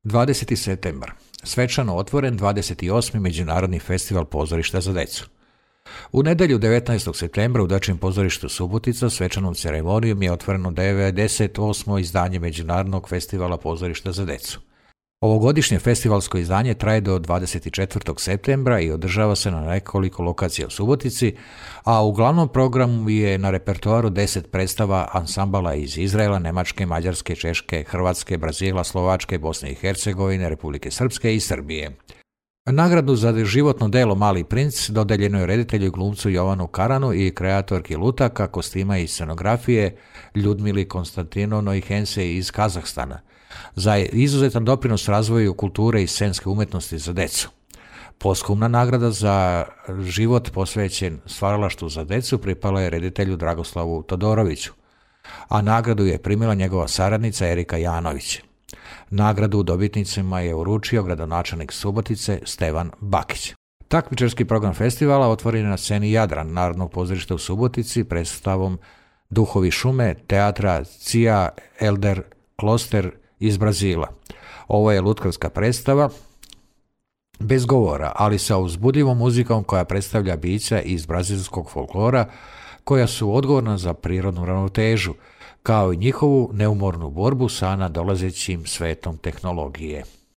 20. septembar. Svečano otvoren 28. Međunarodni festival pozorišta za decu. U nedjelju 19. septembra u Dječjem pozorištu Subotica svečanom ceremonijom je otvoreno 98. izdanje Međunarodnog festivala pozorišta za decu. Ovogodišnje festivalsko izdanje traje do 24. septembra i održava se na nekoliko lokacija u Subotici, a u glavnom programu je na repertoaru 10 predstava ansambala iz Izraela, Njemačke, Mađarske, Češke, Hrvatske, Brazila, Slovačke, Bosne i Hercegovine, Republike Srpske i Srbije. Nagradu za životno delo Mali princ dodeljeno je reditelju i glumcu Jovanu Karanu i kreatorki lutaka, kostima i scenografije Ljudmili Konstantinovnoj Hense iz Kazahstana za izuzetan doprinos razvoju kulture i scenske umjetnosti za decu. Posthumna nagrada za život posvećen stvaralaštvu za decu pripala je reditelju Dragoslavu Todoroviću, a nagradu je primila njegova saradnica Erika Janović. Nagradu dobitnicima je uručio gradonačelnik Subotice Stevan Bakić. Takmičarski program festivala otvoren je na sceni Jadran Narodnog pozorišta u Subotici predstavom Duhovi šume teatra Cia Elder Kloster iz Brazila. Ovo je lutkarska predstava bez govora, ali sa uzbudljivom muzikom koja predstavlja bića iz brazilskog folklora koja su odgovorna za prirodnu ravnotežu, kao i njihovu neumornu borbu sa nadolazećim svetom tehnologije.